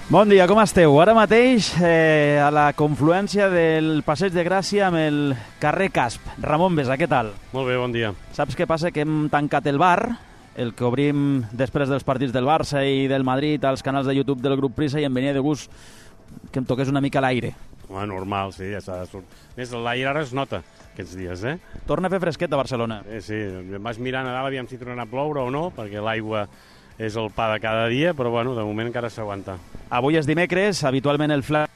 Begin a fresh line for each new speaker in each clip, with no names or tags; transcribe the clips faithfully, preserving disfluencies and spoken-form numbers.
Bon dia, com esteu? Ara mateix eh, a la confluència del Passeig de Gràcia amb el carrer Casp. Ramon Besa, què tal?
Molt bé, bon dia.
Saps què passa? Que hem tancat el bar, el que obrim després dels partits del Barça i del Madrid als canals de YouTube del grup Prisa, i em venia de gust que em toqués una mica l'aire.
Home, normal, sí, ja s'ha de sortir. Més, l'aire ara es nota aquests dies, eh?
Torna a fer fresquet a Barcelona.
Sí, sí, em vas mirant a dalt, aviam si tornarà a ploure o no, perquè l'aigua és el pa de cada dia, però bueno, de moment encara s'aguanta.
Avui és dimecres, habitualment el Fla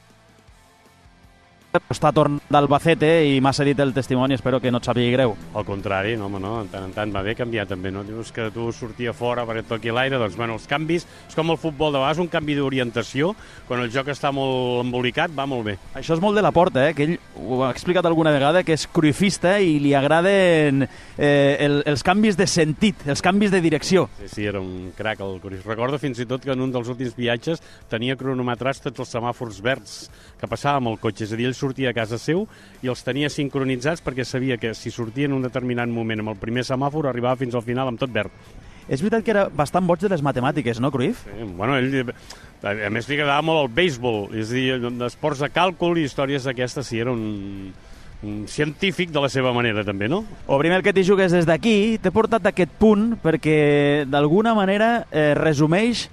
està tornant d'Albacete i m'ha cedit el testimoni, espero que no et sàpigui greu.
Al contrari, no, home, no, en tant en tant va bé canviar també, no? Dius que tu sortia fora perquè et toqui l'aire, doncs, bueno, els canvis, és com el futbol de vegades, un canvi d'orientació, quan el joc està molt embolicat, va molt bé.
Això és molt de la Porta, eh? Que ell ho ha explicat alguna vegada, que és cruifista i li agraden eh, el, els canvis de sentit, els canvis de direcció.
Sí, sí, era un crac el Cruyff. Recordo fins i tot que en un dels últims viatges tenia cronometrats tots els semàfors verds que passava amb el cotxe, és a dir, ell sortia a casa seu i els tenia sincronitzats perquè sabia que si sortia en un determinat moment amb el primer semàfor arribava fins al final amb tot verd.
És veritat que era bastant boig de les matemàtiques, no, Cruyff?
Sí, bueno, ell, a més li agradava molt el béisbol, és a dir, d'esports de càlcul i històries d'aquestes, sí, era un, un científic de la seva manera també, no?
Obrim el que t'hi jugues des d'aquí, t'he portat aquest punt perquè d'alguna manera eh, resumeix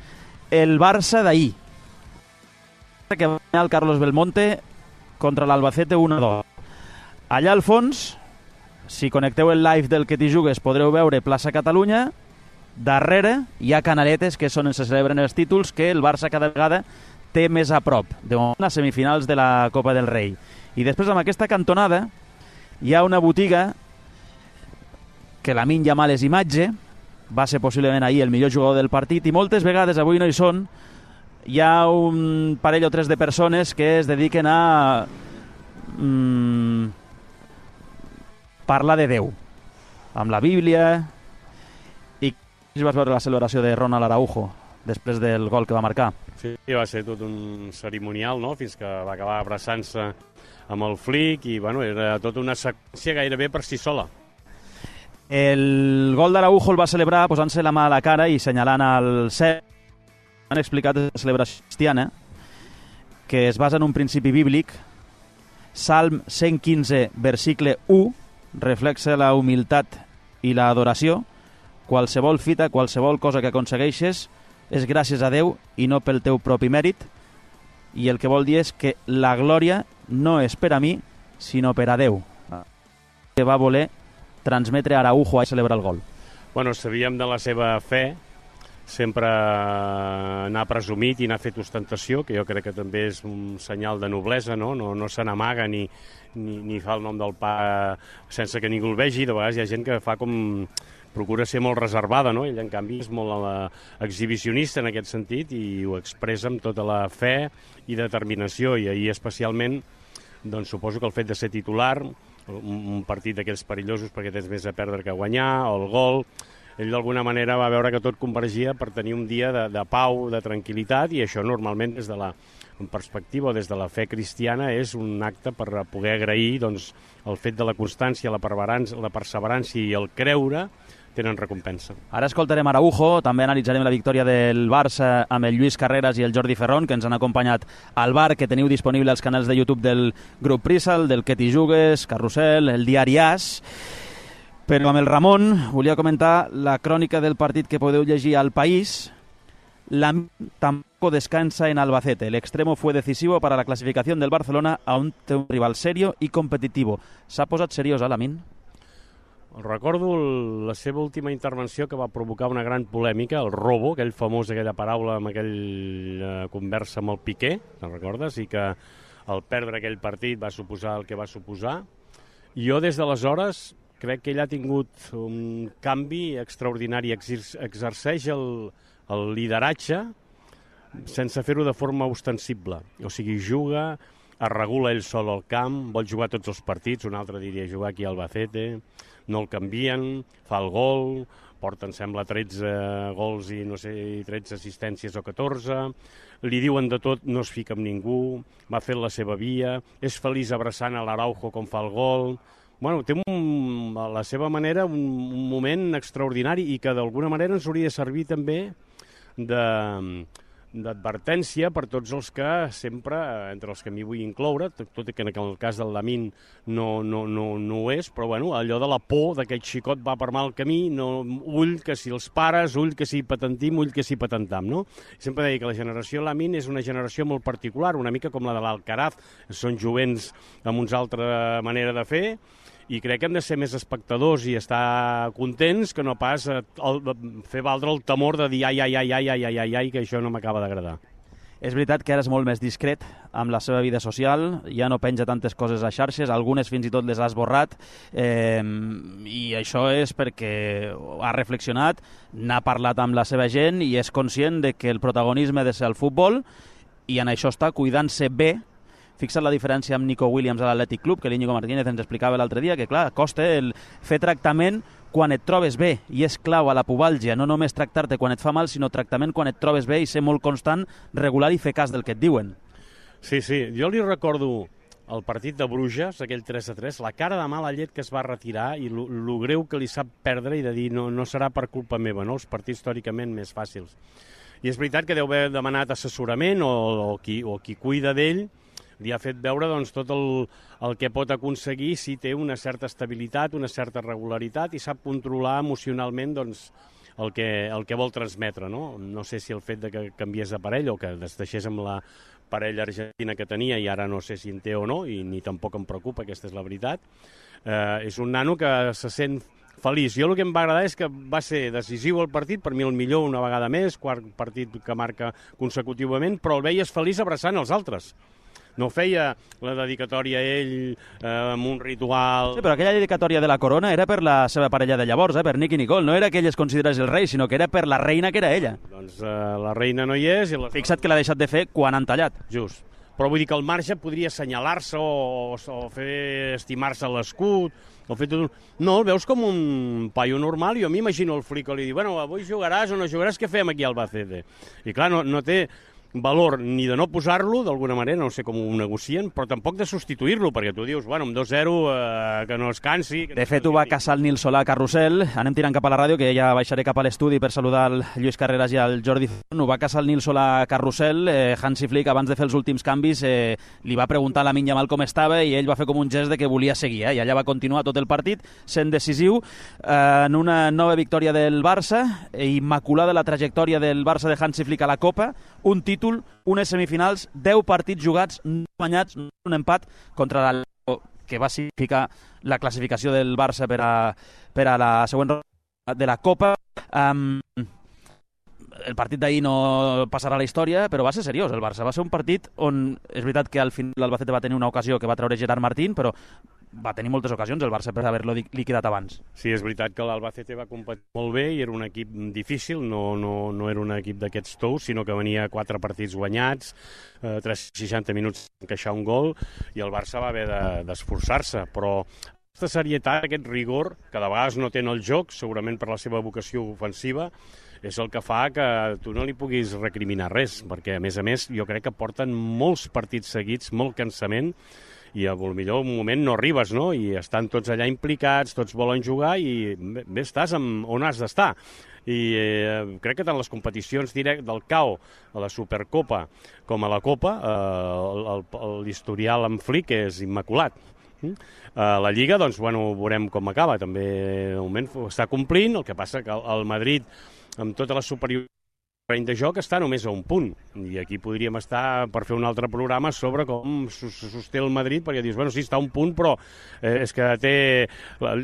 el Barça d'ahir, que va guanyar el Carlos Belmonte contra l'Albacete un a dos. Allà al fons, si connecteu el live del que t'hi jugues, podreu veure plaça Catalunya. Darrere hi ha Canaletes, que són on se celebren els títols, que el Barça cada vegada té més a prop, de moment a semifinals de la Copa del Rei. I després, amb aquesta cantonada, hi ha una botiga que Lamine Yamal és imatge, va ser possiblement ahir el millor jugador del partit, i moltes vegades, avui no hi són, hi ha un parell o tres de persones que es dediquen a mm, parlar de Déu, amb la Bíblia. I vas veure la celebració de Ronald Araujo després del gol que va marcar.
Sí, va ser tot un cerimonial, no?, fins que va acabar abraçant-se amb el flic i, bueno, era tota una seqüència gairebé per si sola.
El gol d'Araujo el va celebrar posant-se la mà a la cara i senyalant al cel. Han explicat la celebració cristiana, que es basa en un principi bíblic. Salm cent quinze, versicle u, reflexa la humilitat i l'adoració. Qualsevol fita, qualsevol cosa que aconsegueixes és gràcies a Déu i no pel teu propi mèrit. I el que vol dir és que la glòria no és per a mi, sinó per a Déu, que va voler transmetre a Araujo a celebrar el gol.
Bueno, sabíem de la seva fe, sempre n'ha presumit i n'ha fet ostentació, que jo crec que també és un senyal de noblesa, no? No, no se n'amaga ni, ni, ni fa el nom del pa sense que ningú el vegi. De vegades hi ha gent que fa com... procura ser molt reservada, no? Ell, en canvi, és molt uh, exhibicionista en aquest sentit i ho expressa amb tota la fe i determinació, i ahir especialment, doncs suposo que el fet de ser titular, un, un partit d'aquells perillosos perquè tens més a perdre que a guanyar, o el gol, ell d'alguna manera va veure que tot convergia per tenir un dia de, de pau, de tranquil·litat, i això normalment des de la perspectiva o des de la fe cristiana és un acte per poder agrair, doncs, el fet de la constància, la perseverança, la perseverança i el creure tenen recompensa.
Ara escoltarem Araujo, també analitzarem la victòria del Barça amb el Lluís Carreras i el Jordi Ferrón, que ens han acompanyat al bar, que teniu disponible als canals de YouTube del grup Prisa, el del que t'hi jugues, Carrusel, el diari As. Però amb el Ramon volia comentar la crònica del partit que podeu llegir al País. Lamine tampoco descansa en Albacete. El extremo fue decisivo para la clasificación del Barcelona a un rival serio y competitivo. S'ha posat seriós, eh, Lamine?
Recordo la seva última intervenció, que va provocar una gran polèmica, el robo, aquell famós, aquella paraula amb aquella conversa amb el Piqué, te'n recordes? I que el perdre aquell partit va suposar el que va suposar. I jo des d'aleshores crec que ell ha tingut un canvi extraordinari, exerceix el, el lideratge sense fer-ho de forma ostensible. O sigui, juga, es regula ell sol al camp, vol jugar tots els partits, un altre diria jugar aquí a Albacete, no el canvien, fa el gol, porta, em sembla, tretze gols i no sé, tretze assistències o catorze, li diuen de tot, no es fica amb ningú, va fer la seva via, és feliç abraçant a l'Araujo com fa el gol. Bueno, té un, a la seva manera un, un moment extraordinari i que d'alguna manera ens hauria de servir també de, d'advertència per tots els que sempre, entre els que m'hi vull incloure, tot i que en el cas del Lamin no, no, no, no ho és, però bueno, allò de la por d'aquest xicot va per mal camí, no, ull que si els pares, ull que si patentim, ull que si patentam, no? Sempre deia que la generació Lamin és una generació molt particular, una mica com la de l'Alcaraz, són jovents amb una altra manera de fer, i crec que hem de ser més espectadors i estar contents que no pas el, fer valdre el temor de dir ai, ai, ai, ai, ai, ai, ai, ai, que això no m'acaba d'agradar.
És veritat que ara és molt més discret amb la seva vida social, ja no penja tantes coses a xarxes, algunes fins i tot les ha esborrat, eh, i això és perquè ha reflexionat, n'ha parlat amb la seva gent i és conscient de que el protagonisme ha de ser el futbol, i en això està cuidant-se bé. Fixa't la diferència amb Nico Williams a l'Atlètic Club, que l'Íñigo Martínez ens explicava l'altre dia, que clar, costa el fer tractament quan et trobes bé, i és clau a la pubalgia, no només tractar-te quan et fa mal, sinó tractament quan et trobes bé i ser molt constant, regular i fer cas del que et diuen.
Sí, sí, jo li recordo el partit de Bruges, aquell tres a tres, la cara de mala llet que es va retirar i el greu que li sap perdre i de dir no, no serà per culpa meva, no? Els partits històricament més fàcils. I és veritat que deu haver demanat assessorament o, o, qui, o qui cuida d'ell, li ha fet veure doncs, tot el, el que pot aconseguir si té una certa estabilitat, una certa regularitat i sap controlar emocionalment doncs, el, que, el que vol transmetre. No? no sé si el fet de que canviés de parella o que es deixés amb la parella argentina que tenia i ara no sé si en té o no, i ni tampoc em preocupa, aquesta és la veritat. Eh, és un nano que se sent feliç. Jo el que em va agradar és que va ser decisiu el partit, per mi el millor una vegada més, quart partit que marca consecutivament, però el veies feliç abraçant els altres. No feia la dedicatòria a ell eh, amb un ritual...
Sí, però aquella dedicatòria de la corona era per la seva parella de llavors, eh, per Nicky Nicole. No era que ell es considerés el rei, sinó que era per la reina que era ella.
Doncs eh, la reina no hi és... I la...
Fixa't que l'ha deixat de fer quan han tallat.
Just. Però vull dir que al marge podria assenyalar-se o, o fer estimar-se l'escut, o fer tot un... No, el veus com un paio normal, i jo m'imagino el Flico li diu, bueno, avui jugaràs o no jugaràs, què fem aquí al Albacete? I clar, no, no té valor ni de no posar-lo, d'alguna manera, no sé com ho negocien, però tampoc de substituir-lo, perquè tu dius, bueno, amb dos zero, eh, que no es cansi... Que
de
no
fet, ho va caçar el Nil Solà a Carrusel. Anem tirant cap a la ràdio, que ja baixaré cap a l'estudi per saludar el Lluís Carreras i el Jordi Zon. Ho va caçar el Nil Solà a Carrusel. Eh, Hansi Flick, abans de fer els últims canvis, eh, li va preguntar a Lamine Yamal com estava i ell va fer com un gest de que volia seguir, eh, i allà va continuar tot el partit, sent decisiu eh, en una nova victòria del Barça, eh, immaculada la trajectòria del Barça de Hansi Flick a la Copa, un títol, unes semifinals, deu partits jugats, no guanyats, un empat contra l'Atlético, que va significar la classificació del Barça per a, per a la següent ronda de la Copa. Um, el partit d'ahir no passarà a la història, però va ser seriós el Barça. Va ser un partit on, és veritat que al final l'Albacete va tenir una ocasió que va treure Gerard Martín, però va tenir moltes ocasions el Barça per haver-lo liquidat abans. Sí, és veritat que l'Albacete va competir molt bé i era un equip difícil, no, no, no era un equip d'aquests tous, sinó que venia quatre partits guanyats, eh, tres cents seixanta minuts encaixar un gol, i el Barça va haver d'esforçar-se, de, però aquesta serietat, aquest rigor, que de vegades no té en el joc, segurament per la seva vocació ofensiva, és el que fa que tu no li puguis recriminar res, perquè a més a més jo crec que porten molts partits seguits, molt cansament, i a millor un moment no arribes, no? I estan tots allà implicats, tots volen jugar i bé, bé estàs amb, on has d'estar. I eh, crec que tant les competicions direct del C A O, a la Supercopa, com a la Copa, eh, l'historial amb Flick és immaculat. Eh, la Lliga, doncs, bueno, veurem com acaba. També, de moment, està complint, el que passa que el Madrid, amb tota la superioritat de joc, està només a un punt, i aquí podríem estar per fer un altre programa sobre com sosté el Madrid, perquè dius, bueno, sí, està a un punt, però eh, és que té,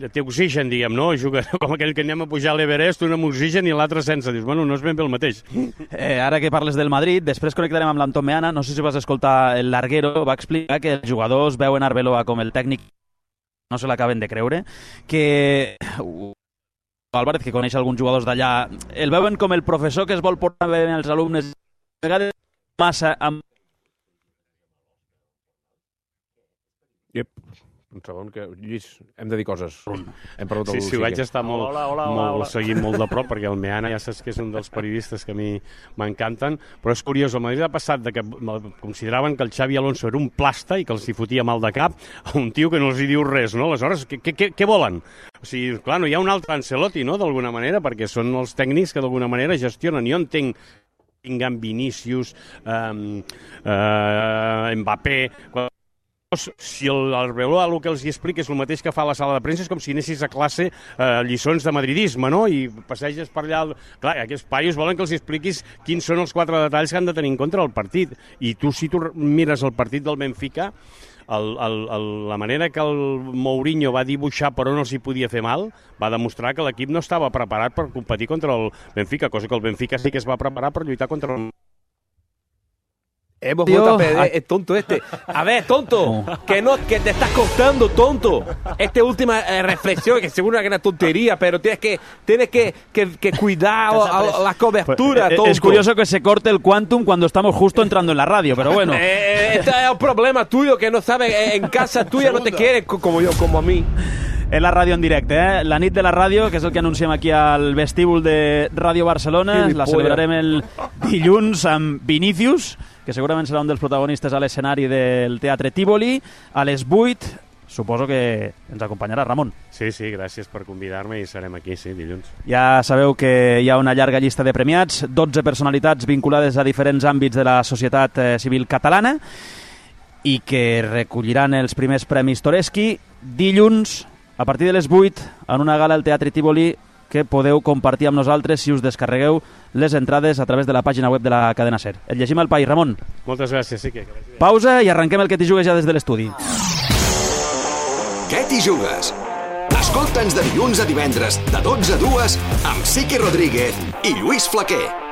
té oxigen, diguem, no? Juga com aquell que anem a pujar a l'Everest, un amb oxigen i l'altre sense. Dius, bueno, no és ben bé el mateix. Eh, ara que parles del Madrid, després connectarem amb l'Anton Meana, no sé si vas escoltar el Larguero, va explicar que els jugadors veuen Arbeloa com el tècnic, no se l'acaben de creure, que... Álvarez, que coneix alguns jugadors d'allà, el veuen com el professor que es vol portar bé els alumnes, a vegades massa amb...
Yep. Un segon, que Lluís, hem de dir coses. Hem perdut el
sí, sí, vaig estar molt,
hola, hola, hola,
molt
hola.
seguint molt de prop, perquè el Meana ja saps que és un dels periodistes que a mi m'encanten, però és curiós, el Madrid ha passat de que consideraven que el Xavi Alonso era un plasta i que els hi fotia mal de cap a un tio que no els hi diu res, no? Aleshores, què, què, què volen? O sigui, clar, no hi ha un altre Ancelotti, no?, d'alguna manera, perquè són els tècnics que d'alguna manera gestionen. Jo entenc Bellingham, Vinícius, eh, eh, Mbappé... Si el, el Arbeloa el que els hi explica és el mateix que fa a la sala de premsa, és com si anessis a classe eh, lliçons de madridisme, no? I passeges per allà... Clar, aquests paios volen que els hi expliquis quins són els quatre detalls que han de tenir en compte el partit. I tu, si tu mires el partit del Benfica, el, el, el, la manera que el Mourinho va dibuixar per on els hi podia fer mal, va demostrar que l'equip no estava preparat per competir contra el Benfica, cosa que el Benfica sí que es va preparar per lluitar contra el...
Hemos vuelto a perder, es tonto este. A ver, tonto, que no, que te estás costando, tonto. Esta última eh, reflexión, que seguro es una tortería, pero tienes que, tienes que, que, que cuidar a, a la cobertura,
pues,
tonto.
Es curioso que se corte el quantum cuando estamos justo entrando en la radio, pero bueno.
Eh, este es un problema tuyo, que no sabes, eh, en casa tuya no te quieren como yo, como a mí.
És la ràdio en directe, eh? La nit de la ràdio, que és el que anunciem aquí al vestíbul de Ràdio Barcelona. La celebrarem el dilluns amb Vinícius, que segurament serà un dels protagonistes a l'escenari del Teatre Tívoli, a les vuit. Suposo que ens acompanyarà Ramon.
Sí, sí, gràcies per convidar-me i serem aquí, sí, dilluns.
Ja sabeu que hi ha una llarga llista de premiats, dotze personalitats vinculades a diferents àmbits de la societat eh, civil catalana i que recolliran els primers premis Toreski dilluns a partir de les vuit en una gala al Teatre Tívoli que podeu compartir amb nosaltres si us descarregueu les entrades a través de la pàgina web de la cadena SER. Et llegim al país, Ramon.
Moltes gràcies, sí que...
Pausa i arrenquem el que t'hi jugues ja des de l'estudi.
Què t'hi jugues? Escolta'ns de dilluns a divendres, de dotze a dues, amb Siqui Rodríguez i Lluís Flaquer.